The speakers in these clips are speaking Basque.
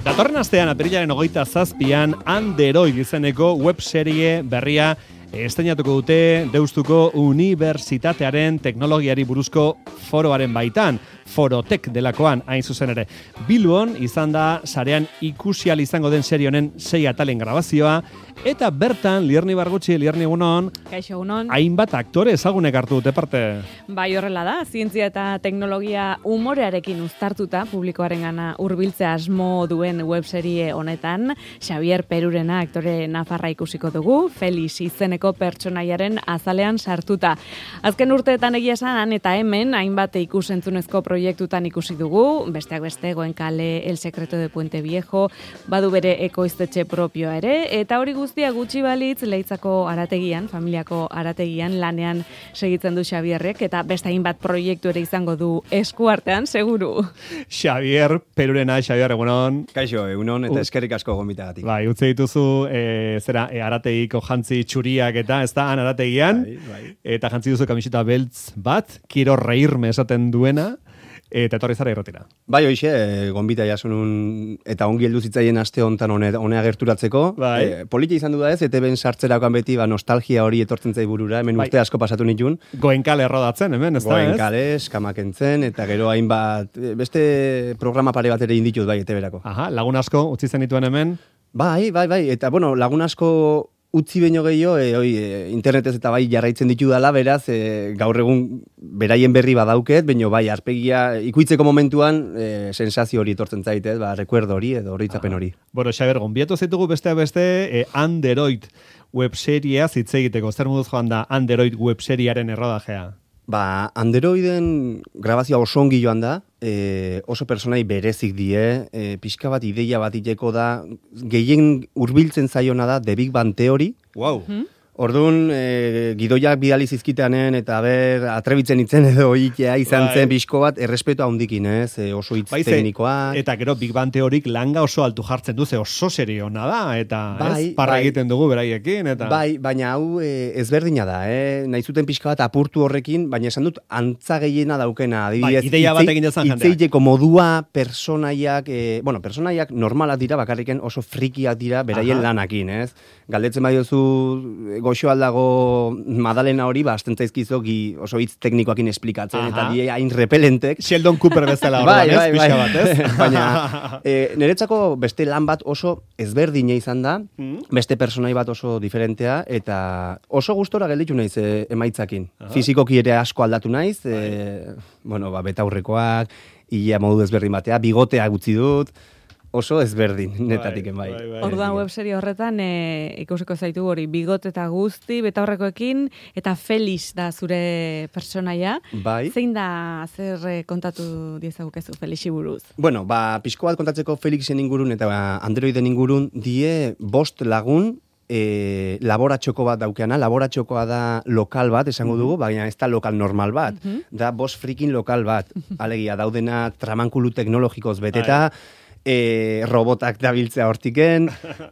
Datorren astean apirilaren 27an Android izeneko webserie berria estreinatuko dute Deustuko Unibertsitatearen teknologiari buruzko foroaren baitan, Forotek delakoan hain zuzen ere. Bilbon izan da sarean ikusi ahal izango den serie honen 6 atalen grabazioa, eta bertan Lierni Bargutxi, Lierni egunon, Kaixo egunon, hainbat aktore ezagunek hartu dute parte. Bai, horrela da, zientzia eta teknologia umorearekin uztartuta publikoarengana hurbiltzea asmo duen webserie honetan, Xavier Perurena aktore nafarra ikusiko dugu, Felix izeneko pertsonaiaren azalean sartuta. Azken urteetan egia esan han eta hemen hainbat ikusentzunezko proiektutan ikusi dugu, besteak beste Goenkale, El Secreto de Puente Viejo, badu bere ekoiztetxe propioa ere, eta hori guztia gutxi balitz Leitzako arategian, familiako arategian lanean segitzen du Xabierrek, eta beste hainbat proiektu ere izango du eskuartean, seguru. Xavier Perurena, Xavier, egunon. Kaixo, egunon, eta eskerrik asko gonbitagatik. Bai, utzi dituzu, arategiko jantzi txuriak eta ez da, han arategian, bai. Eta jantzi duzu kamiseta beltz bat, quiero reírme esaten duena, eta etorri zara irratira. Bai, hoxe, gonbita jasunun, eta ongi heldu zitzaien aste hontan honea gerturatzeko. Bai. Polita izan du da ez, ETB-en sartzerakoan beti, nostalgia hori etortzen zai burura, hemen urte asko pasatu nitun. Goenkale errodatzen, hemen, ez da, ez? Goenkale, Eskamakentzen, eta gero hainbat, beste programa pare bat ere inditut bai, ETB-erako. Aha, lagun asko utzi zen dituen hemen. Bai, eta bueno, lagun asko utzi baino gehiago, internetez eta bai jarraitzen ditu dala, beraz, gaur egun beraien berri badauket, baino bai, arpegia ikuitzeko momentuan sensazio hori etortzen zaitez, rekuerdo hori edo horitzapen hori. Bueno, Xaber, gonbiatu zaitugu besteak beste Android webseria hitz egiteko. Zer moduz joan da Android webseriaren errodajea? Androiden grabazioa oso ongi joan da, oso personai berezik die, pixka bat ideia bat iteko da, gehien hurbiltzen zaiona da The Big Bang Theory. Wow. Orduan, gidoiak bidali zizkitanen, eta atrebitzen itzen edo itea izan zen pixko bat, errespeto handikin, ez? Oso hitz teknikoa. Eta gero Big Bang Theorik langa oso altu jartzen du, oso serio ona da, eta parra egiten dugu beraiekin. Eta... Bai, baina hau ezberdina da, Nahi zuten pixka bat apurtu horrekin, baina esan dut antza gehiena daukena. Adibidez, ideia bat egin dezan jendeak. Itzeiteko modua, personaiak normalak dira, bakarriken oso frikiak dira beraien lanakin, ez? Galdetzen badiozu goxo aldago Madalena hori, azten zaizkizo oso hitz teknikoakin esplikatzen, eta die hain repelentek. Sheldon Cooper bezala hori, ez? Pixka bat, ez? Baina, niretzako beste lan bat oso ezberdina izan da, beste personai bat oso diferentea, eta oso gustora gelditu naiz emaitzakin. Fizikoki ere asko aldatu naiz, betaurrekoak, ia modu ezberdin batea, bigotea gutxi dut, oso ezberdin, netatiken bai. Orduan webserie horretan ikusiko zaitu hori bigot eta guzti, betaurrekoekin, eta Felix da zure personaia. Bai. Zein da, zer kontatu diezagukezu Felixi buruz? Bueno, pixko bat kontatzeko Felixen ingurun eta Androiden ingurun die 5 lagun, laboratxoko bat daukeana, laboratxokoa da lokal bat, esango dugu, baina ez da lokal normal bat, da 5 frikin lokal bat, alegia daudena tramankulu teknologikoz beteta, robotak dabiltzea hortiken,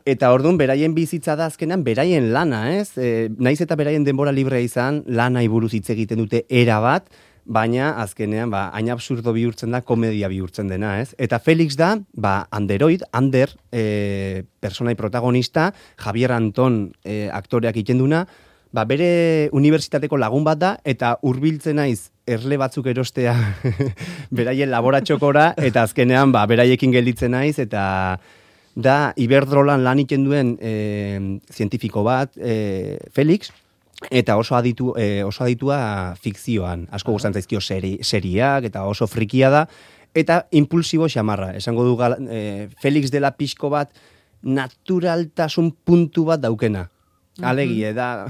eta orduan beraien bizitza da azkenan beraien lana, ez? Naiz eta beraien denbora librea izan, lanai buruz hitz egiten dute era bat, baina azkenean hain absurdo bihurtzen da, komedia bihurtzen dena, ez? Eta Felix da, Ander, personai protagonista, Javier Anton aktoreak ikenduna, bere unibertsitateko lagun bat da, eta hurbiltzen naiz erle batzuk erostea beraien laboratxokora, eta azkenean beraiekin gelditzen naiz, eta da Iberdrolan lan iten duen zientifiko bat, Felix, eta oso aditua fikzioan. Asko gustan zaizkio seriak, eta oso frikia da, eta impulsibo xamarra. Esango du Felix dela pixko bat naturaltasun puntu bat daukena. Alegia, da,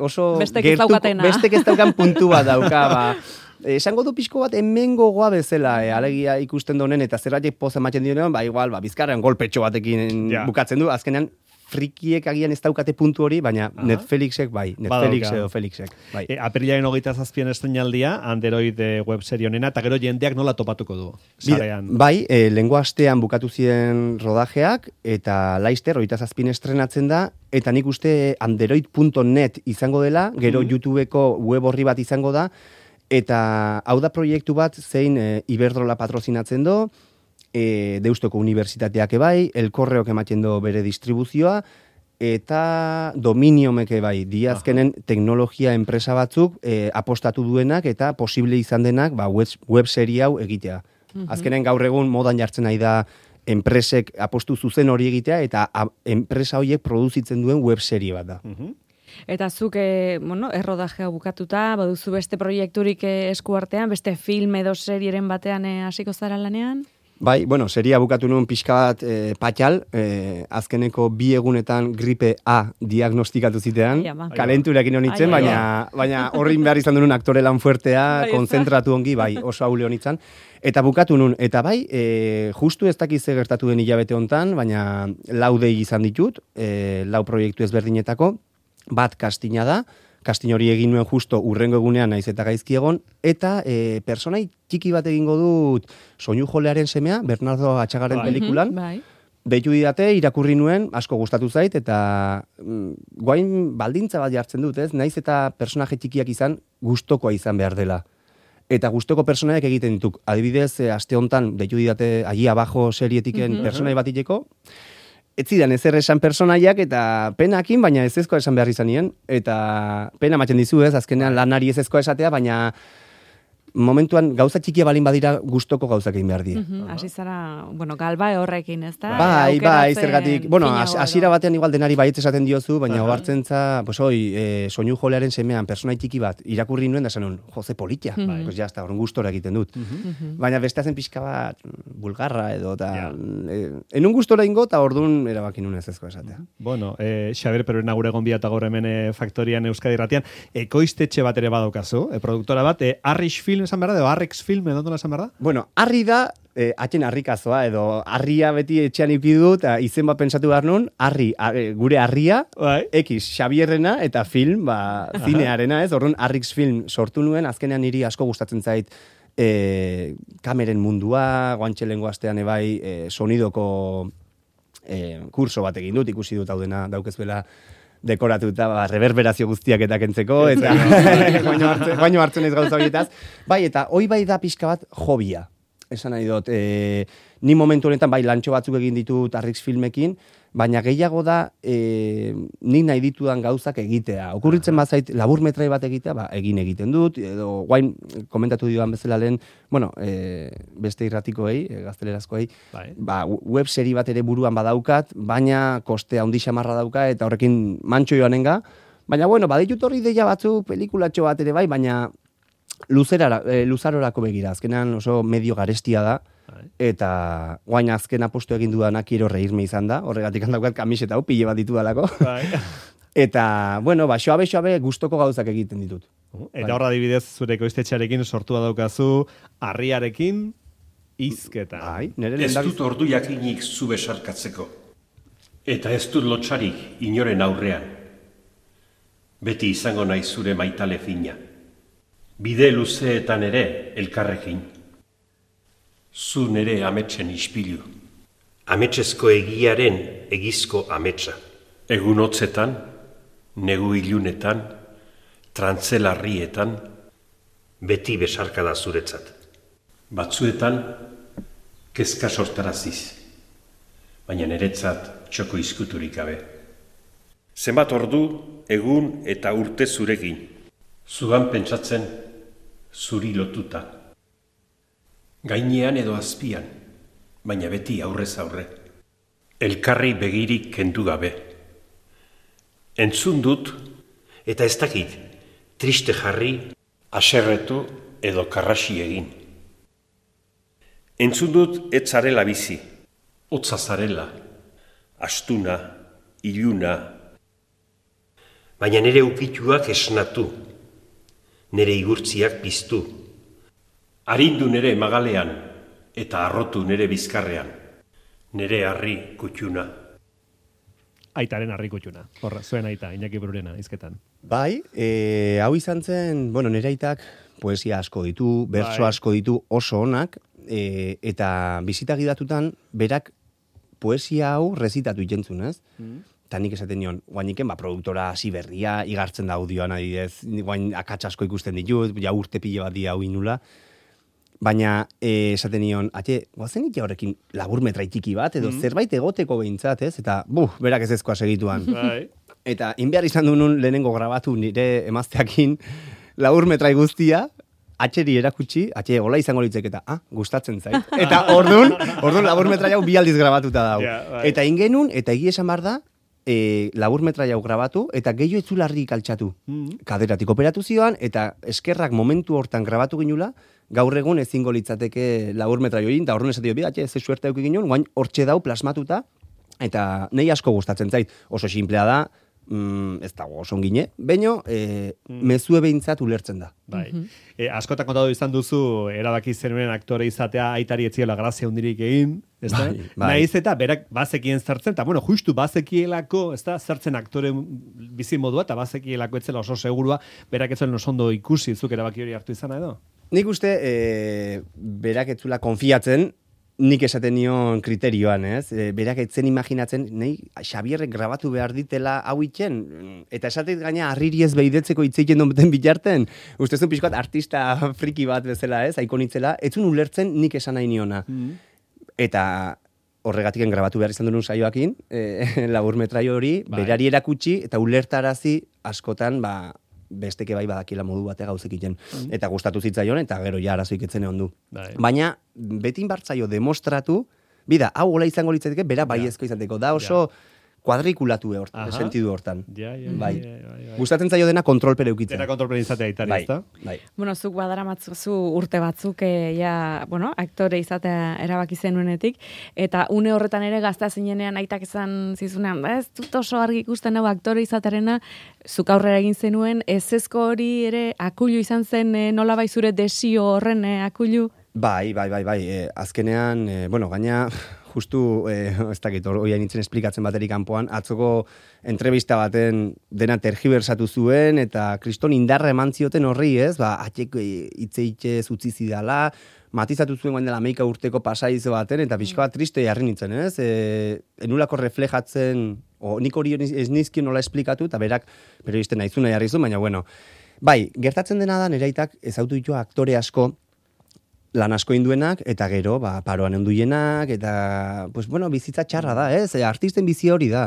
oso bestek ez daukan puntu bat dauka, esango du pixko bat hemen gogoa bezala, alegia ikusten donen, eta zerratik poza ematen dionean, igual, bizkarrean golpetxo batekin bukatzen du, azkenean frikiek agian ez daukate puntu hori, baina Netflixek bai, Netflix Badauka. edo Felixek. Bai. Apirilaren 27 estreinaldia, Android web serie honena, eta gero jendeak nola topatuko du? Sarean. Bai, lehengo astean bukatu ziren rodajeak, eta Laster, 27 estrenatzen da, eta nik uste android.net izango dela, gero YouTubeko web horri bat izango da, eta hau da proiektu bat zein Iberdrola patrozinatzen do, Deustoko Unibertsitateak ebai, Elkorreok ematen do bere distribuzioa, eta Dominiomek ebai, diazkenen teknologia enpresa batzuk apostatu duenak eta posible izan denak web serie hau egitea. Azkenen gaur egun modan jartzen nahi da enpresek apostu zuzen hori egitea eta enpresa horiek produzitzen duen web serie bat da. Eta zuk, errodajea bukatuta, baduzu beste proiekturik eskuartean, beste film edo serieren batean hasiko zara lanean? Bai, seria bukatu nuen pixka bat patxal, azkeneko 2 egunetan gripe A diagnostikatu zitean, kalenturekin honitzen, baina horrin behar izan duen aktore lan fuertea, konzentratu ongi, bai, oso haule honitzen. Eta bukatu nun, eta bai, justu ez dakiz gertatu den hilabete hontan, baina 4 dei izan ditut, 4 proiektu ezberdinetako, bat kastina da, kastin hori egin nuen justo urrengo egunean naiz eta gaizki egon, eta personai txiki bat egingo dut Soinu jolearen semea, Bernardo Atxagaren pelikulan, deitu didate, irakurri nuen, asko gustatu zait, eta guain baldintza bat jartzen dut, ez? Naiz eta personaje txikiak izan, gustokoa izan behar dela. Eta gustoko personaiak egiten dituk. Adibidez, aste hontan, deitu didate, Allí abajo serietiken personai bat iteko, ez zidan ezer esan personaiak eta penakin, baina ez ezkoa esan behar izanien. Eta pena ematen dizu ez, azkenean lanari ez ezkoa esatea, baina momentuan gauza txikia balin badira gustoko gauzak egin behar die. Hasi zara, galba horrekin, ez da? Bai, zergatik. Hasiera batean igual denari baietz esaten diozu, baina ohartzentza, Soinu jolearen semean personai txiki bat irakurri nuen da esan Jose politia. Pues ya está, horren gustora egiten dut. Baina beste zen pixka bat bulgarra edo eta enun gustora ingo eta ordun erabaki nuen ez ezko esatea. Xabier Perurena gure gonbia eta gaur hemen Faktorian Euskadi Irratian, ekoiztetxe bat ere badaukazu, produktora bat, Arrix Film esan behar da, edo Arrix Film, edo nola esan behar da? Harri da, atxen harrikazoa, edo harria beti etxean ipidu, eta izen bat pensatu behar nun, gure harria, X, Xabierrena, eta film, zinearena, ez? Orduan, Arrix Film sortu nuen, azkenean niri asko gustatzen zait, kameren mundua, guantxelengo astean ebai, sonidoko kurso bat egin dut, ikusi dut hau dena daukezbela, dekoratuta, reverberazio guztiak eta kentzeko, eta baino hartzen ez gauza horietaz. Bai, eta hoi bai da pixka bat hobia. Esan nahi dut, ni momentu honetan bai lantxo batzuk egin ditut Arrix Filmekin, baina gehiago da nik nahi ditudan gauzak egitea. Okurritzen bazait laburmetrai bat egitea, egiten dut, edo guain komentatu dioan bezala lehen, beste irratikoei, gaztelerazkoei, web seri bat ere buruan badaukat, baina koste handi xamarra dauka, eta horrekin mantxo joanenga, baina baditut horri deia batzu, pelikulatxo bat ere bai, baina luzarorako begira, azkenan oso medio garestia da, eta guain azken apostu egin dudanak quiero reírme izan da, horregatik handaukat kamiseta hau, pile bat ditu dalako. Eta, xoabe gustoko gauzak egiten ditut. Eta horra adibidez zure ekoiztetxearekin sortua daukazu, harriarekin hizketa. Ez dut ordu jakinik zu besarkatzeko. Eta ez dut lotxarik inoren aurrean. Beti izango nahi zure maitale fina. Bide luzeetan ere elkarrekin. Zu nere ametsen ispilu. Ametsezko egiaren egizko ametsa. Egun hotzetan, negu ilunetan, trantzelarrietan, beti besarkada zuretzat. Batzuetan, kezka sortaraziz. Baina niretzat txoko izkuturik gabe. Zenbat ordu, egun eta urte zurekin. Zugan pentsatzen, zuri lotuta. Gainean edo azpian, baina beti aurrez aurre. Elkarri begirik kendu gabe. Entzun dut, eta ez dakit, triste jarri, aserretu edo karrasi egin. Entzun dut ez zarela bizi, hotza zarela, astuna, iluna, baina nire ukituak esnatu, nire igurtziak piztu, arindu nire magalean eta arrotu nire bizkarrean, nire harri kutxuna. aitaren arrikutxuna. Horra, zuen aita, Iñaki Brurena, izketan. Bai, hau izan zen, bueno, nire aitak poesia asko ditu, bertso asko ditu oso onak, eta bizita gidatutan, berak poesia hau rezitatu ikentzun, ez? Eta nik esaten nion, guainiken, produktora hasi berria, igartzen da audioan adidez, guain akats asko ikusten ditut, ja urte pile bat dia hau inula, baina esaten nion, guazen ikia horrekin laburmetra txiki bat, edo zerbait egoteko behintzat, ez? Eta, berak ez ezkoa segituan. Eta, inbehar izan duen lehenengo grabatu nire emazteakin laburmetra guztia, atxeri erakutsi, hola izango litzek eta, gustatzen zait. Eta orduan laburmetra jau bi aldiz grabatuta dau. Eta ingenun, eta egia esan bar da, laburmetra jau grabatu, eta gehiago etzularrik altxatu. Kaderatik operatu zioan, eta eskerrak momentu hortan grabatu ginula, gaur egun ezingo litzateke laburmetra join, eta orduan esatio, ze suerte auki ginen, guain hortxe dau plasmatuta, eta nei asko gustatzen zait. Oso simplea da, ez dago oso ongine, baino mezue behintzat ulertzen da. Bai. Askotan kontatu izan duzu, erabaki zenuen aktore izatea aitari etziela grazia hundirik egin, ezta? Naiz eta berak bazekien zertzen, eta justu bazekielako, ezta, zertzen aktore bizi modua, eta bazekielako etzela oso segurua, berak etzuen oso ondo ikusi, zuk erabaki hori hartu izana edo? Nik uste, berak etzula konfiatzen, nik esaten nion kriterioan, ez? Berak etzen imaginatzen, nahi Xabierrek grabatu behar ditela hau itxen, eta esatet gaina harriri ez behidetzeko itzeiten donbeten bitarten, ustezun pixkoat artista friki bat bezala, ez? Aikonitzela, etzun ulertzen nik esan nahi niona. Eta horregatiken grabatu behar izan duen saioakin, laburmetraio hori, berari erakutsi, eta ulertarazi askotan, besteke bai badakila modu batea gauzek iten. Eta gustatu zitzaion, eta gero ja arazoik etzen egon du. Baina, betin bartzaio demostratu, hau hola izango litzateke, bera baiezko izateko. Da oso kuadrikulatu sentidu hortan. Bai. Gustatzen zaio dena kontrolpere eukitzen. Dena kontrolpere izatea itari, ezta? Bai. Bueno, zuk badara matzu urte batzuk, aktore izatea erabaki zenuenetik, eta une horretan ere gazta zinenean aitak izan zizunean, ez dut oso argi ikusten hau aktore izatearena, zuk aurrera egin zenuen, ezezko hori ere akulu izan zen nolabai zure desio horren akulu? Bai. Azkenean, gaina justu, ez dakit, hori nintzen esplikatzen baterik kanpoan, atzoko entrevista baten dena tergibersatu zuen, eta kriston indarra eman zioten horri, ez? Atxek itzeitxe utzi zidala, matizatu zuen guen dela 11 urteko pasaizo baten, eta pixka bat triste jarri nintzen, ez? Enulako reflejatzen, nik hori ez nizkion nola esplikatu, eta berak periodisten naizuna jarri zuen, baina bai, gertatzen dena da, neraitak ezautu ditu aktore asko, lan asko induenak, eta gero, paroan enduienak, eta, bizitza txarra da, ez? Artisten bizi hori da.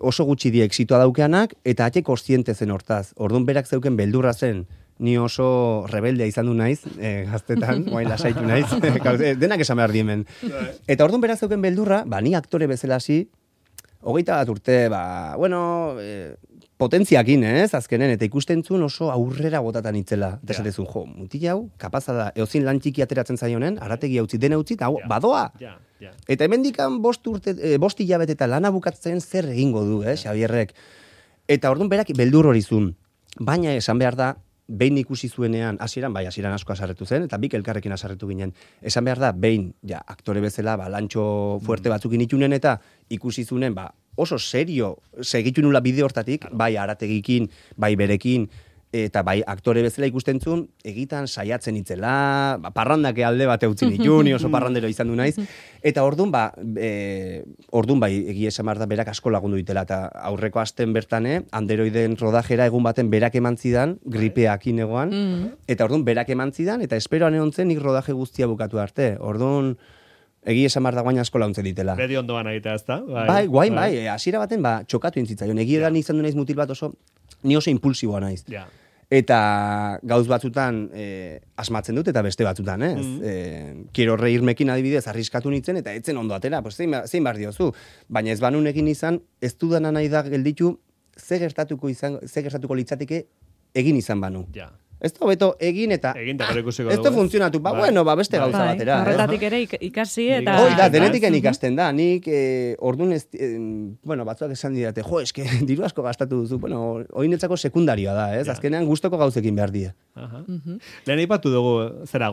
Oso gutxi die exitoa daukeanak, eta ate kontziente zen hortaz. Orduan berak zeuken beldurra zen, ni oso rebeldea izan du naiz, gaztetan, guain lasaitu naiz, denak esan behar diemen. Eta orduan berak zeuken beldurra, ni aktore bezala hasi, 21 urte, potentziakin, ez, azkenen, eta ikusten zuen oso aurrera botatan itzela. Eta esatezun, mutil hau, kapaza da, eozin lan txiki ateratzen zaionen, arategi utzi, dena utzi, eta badoa. Eta hemendikan 5 hilabete eta lana bukatzen zer egingo du, Xabierrek. Eta orduan berak beldur hori zuen. Baina esan behar da, behin ikusi zuenean, hasieran asko asarretu zen, eta bik elkarrekin asarretu ginen. Esan behar da, behin, aktore bezala, lantxo fuerte batzukin itunen, eta ikusi zunen, oso serio segitu nula bide hortatik, bai arategikin, bai berekin, eta bai aktore bezala ikusten zuen, egitan saiatzen itzela, parrandake alde bat eutzin ditu, ni oso parrandero izan du naiz, eta orduan bai egia esan behar da berak asko lagundu ditela, eta aurreko asten bertane, Anderoiden rodajera egun baten berak eman zidan, gripeakin egoan, eta orduan berak eman zidan, eta esperoan egon zen nik rodaje guztia bukatu arte, orduan egi esan behar da guain asko launtzen ditela. Bedi ondoan egitea, ezta? Bai, hasiera baten, txokatu entzitzaion. Egi edan izan du naiz mutil bat ni oso impulsiboa naiz. Eta gauz batzutan asmatzen dut, eta beste batzutan, ez? Quiero reírmekin adibidez, arriskatu nintzen, eta etzen ondo atera, zein behar diozu. Baina ez banunekin izan, ez dudana nahi da gelditu, ze gertatuko litzateke egin izan banu. Ez da hobeto egin eta Egin eta gero ikusiko ez dugu, da funtzionatu, beste gauza batera. Horretatik ere ikasi eta... Hoi da, denetiken ikasten da. Nik, orduan batzuak esan didate, eske, diru asko gastatu duzu. Oinetzako sekundarioa da, ez? Azkenean gustoko gauzekin behar die. Lehen aipatu dugu,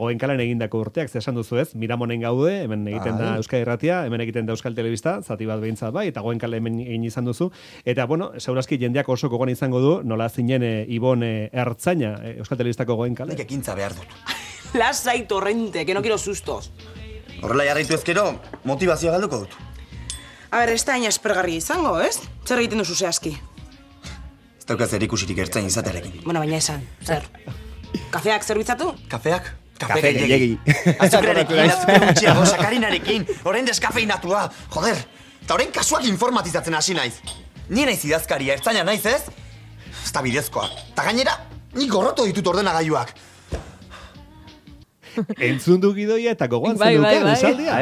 Goenkalan egindako urteak, esan duzu ez, Miramonen gaude, hemen egiten da Euskal Irratia, hemen egiten da Euskal Telebista, zati bat behintzat bai, eta Goenkale hemen egin izan duzu. Eta, segurazki jendeak oso gogoan izango du, nola zinen Ibon Ertzaina, Euskal Telebistako Goenkale. Nik ekintza behar dut. Lasai, torrente, que no quiero sustos. Horrela jarraitu ezkero, motivazioa galduko dut. A ber, ez da hain aspergarri izango, ez? Zer egiten duzu zehazki? Ez daukaz erikusirik ertzain izatearekin. Bueno, baina esan, zer? Kafeak zerbitzatu? Kafeak? Kafe gehiegi. Azukrearekin, azukre gutxiago, sakarinarekin, orain deskafeinatua, joder. Eta orain kasuak informatizatzen hasi naiz. Ni naiz idazkaria, ertzaina naiz ez? Ez da bidezkoa. Ta gainera, nik gorroto ditut ordenagailuak. Entzun du gidoia eta gogoan zenuken, esaldia.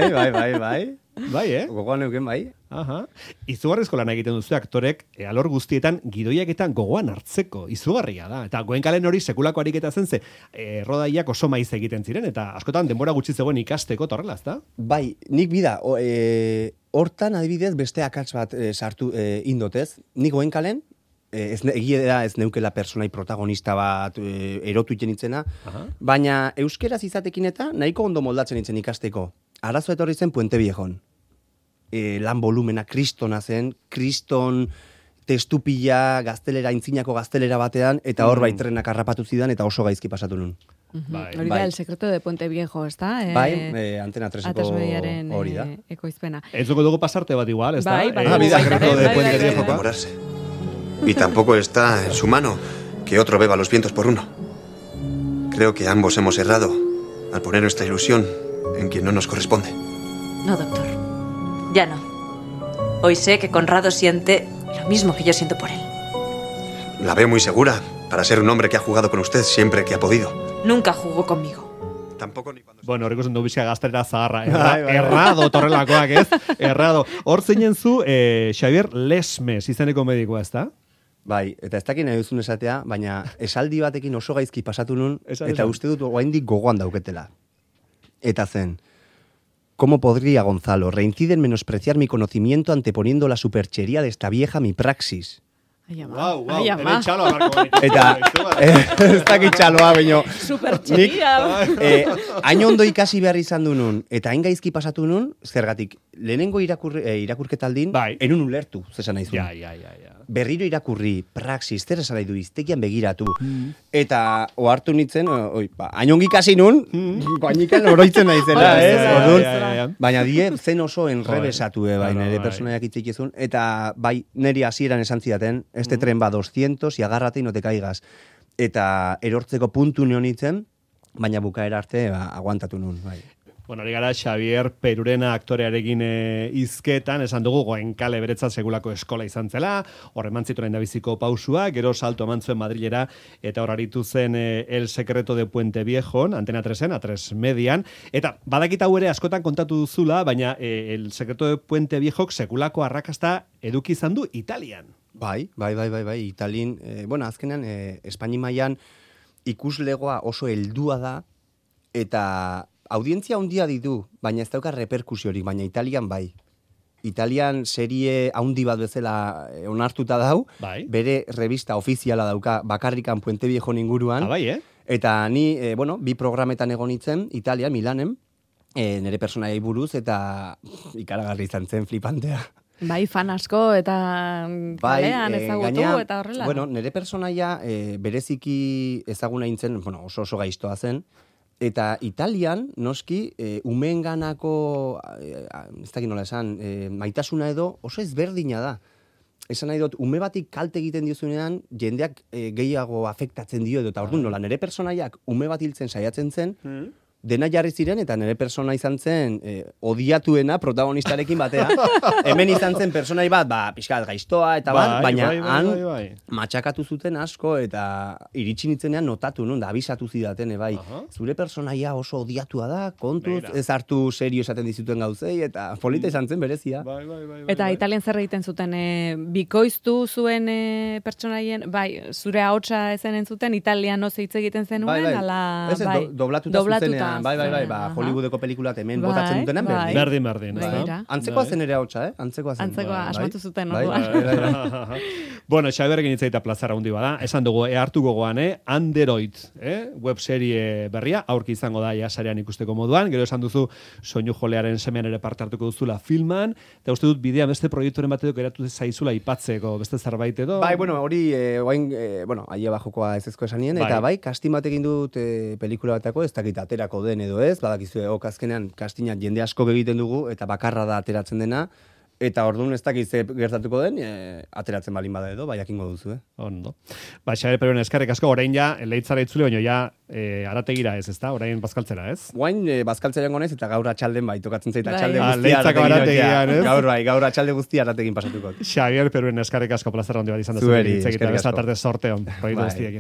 Bai, Gogoan neuken, bai. Aha. Izugarrizko lan egiten duzu aktorek alor guztietan gidoiaketan gogoan hartzeko. Izugarria da. Eta Goenkalen hori sekulako ariketa zen ze rodaiak oso maiz egiten ziren eta askotan denbora gutxi zegoen ikasteko torrela, ezta? Bai, nik bida, hortan adibidez beste akats bat sartu indotez. Nik Goenkalen, egia da ez neukela personai protagonista bat erotu itxenitzena, baina euskeraz izatekin eta nahiko ondo moldatzen itzen ikasteko. Arazo etorri zen Puente Viejon. Lan volumena kristona zen, kriston testupila gaztelera, intzinako gaztelera batean, eta hor bai trenak harrapatu zidan, eta oso gaizki pasatu nun. Hori da, el secreto de Puente Viejo, ez da? Antena 3-eko hori da. Ekoizpena. Entzuko dugu pasarte bat igual, ez da? Bai, secreto de Puente Viejo. Enamorarse. Y tampoco está en su mano que otro beba los vientos por uno. Creo que ambos hemos errado al poner nuestra ilusión en quien no nos corresponde. No, doctor. Ya no. Hoy sé que Conrado siente lo mismo que yo siento por él. La veo muy segura para ser un hombre que ha jugado con usted siempre que ha podido. Nunca jugó conmigo. Tampoco ni cuando... Bueno, horreko zen du bizka gaztelera zaharra. Errado torrelakoak, ez? Errado. Hor zeinen zu, Xavier Lesmes izeneko medikoa, ez da? Bai, eta ez dakit nahi duzun esatea, baina esaldi batekin oso gaizki pasatu nun, eta uste dut oraindik gogoan dauketela. Eta zen, ¿cómo podría Gonzalo reincide en menospreciar mi conocimiento anteponiendo la superchería de esta vieja mi praxis? Wow, hemen txaloa marko. Eta, ez dakit txaloa, baino. Superchería. Hain ondo ikasi behar izan du nun, eta hain gaizki pasatu nun, zergatik, lehenengo irakurketaldin, enun ulertu, zesan nahi zuen. Ja. Berriro irakurri, praxis, zer esan nahi du, iztegian begiratu. Eta, ohartu nintzen, hain ongi ikasi nun, bainikan oroitzen nahi zela, baina die zen oso enrebesatu, bai, nire personaiak itzik izun, eta bai, niri hasieran esan zidaten, este tren va 200 y agárrate y no te caigas. Eta erortzeko puntu neonitzen, baina bukaera arte aguantatu nun, bai. Bueno, hori gara Xavier Perurena aktorearekin hizketan, esan dugu Goenkale beretzat segulako eskola izan zela, hor eman zituen endabiziko pausua, gero salto eman zuen Madrilera, eta hor aritu zen El Secreto de Puente Viejon, Antena 3-en, A3 Median, eta badakit hau ere askotan kontatu duzula, baina El Secreto de Puente Viejok segulako arrakasta eduki izan du Italian. Bai, Italin, azkenean, Espaini mailan ikuslegoa oso heldua da, eta audientzia handia ditu, baina ez dauka reperkusiorik, baina Italian bai. Italian serie handi bat bezala onartuta dau, bere revista ofiziala dauka bakarrikan Puente Viejo inguruan. Eta ni, bi programetan egon nintzen, Italia, Milanen, nire personaiai buruz, eta ikaragarri izan zen flipantea. Bai, fan asko eta kalean ezagutu eta horrela. Bueno, nire personaia bereziki ezaguna nintzen, oso gaiztoa zen, eta Italian, noski, umeenganako, ez dakit nola esan, maitasuna edo oso ezberdina da. Esan nahi dut, ume batik kalte egiten diozunean, jendeak gehiago afektatzen dio edo, eta orduan nola, nire personaiak ume bat hiltzen saiatzen zen, dena jarri ziren, eta nire persona izan zen odiatuena protagonistarekin batea. Hemen izan zen personai bat, pixkat gaiztoa, eta baina han matxakatu zuten asko, eta iritsi nitzenean notatu, da abisatu zidaten, zure personaia oso odiatua da, kontuz, ez hartu serio esaten dizuten gauzei, eta polita izan zen berezia. Eta Italian zer egiten zuten, bikoiztu zuen pertsonaien, zure ahotsa ezen entzuten, italianoz hitz egiten zenuen, ala, doblatuta zuzenean, Hollywoodeko pelikulat hemen botatzen dutenean, berdin. Antzekoa zen ere ahotsa, Antzekoa zen. Antzekoa, asmatu zuten. Bueno, Xabiarrekin hitzaita plazara hundi bada, esan dugu, hartu gogoan, Android, webserie berria, aurki izango da jasarean ikusteko moduan, gero esan duzu, soinu jolearen semean ere parte hartuko duzula filman, eta uste dut bidea beste proiekturen batetik eratu zaizula ipatzeko, beste zerbait edo? Hori, aia bajokoa ez ezko esanien, eta kastin batekin dut pelikula batako, ez dakit aterako den edo ez, badakizue, azkenean kastinak jende asko egiten dugu, eta bakarra da ateratzen dena, eta orduan ez dakiz gertatuko den, ateratzen balin bada edo, jakingo duzu, Ondo. Xabier Peruren eskerrik asko, orain ja, leitzara itzule, baino arategira ez, ezta? Orain bazkaltzera, ez? Orain bazkaltzera gonez, eta gaur atxalden tokatzen zaita atxalde guztia. Leitzako arategian, ez? Gaur atxalde guztia arategin pasatuko. Xabier Peruren eskerrik asko plazera hondi bat izan da. Zueri, eskerrik asko. Sorteon, proiektu guztiekin.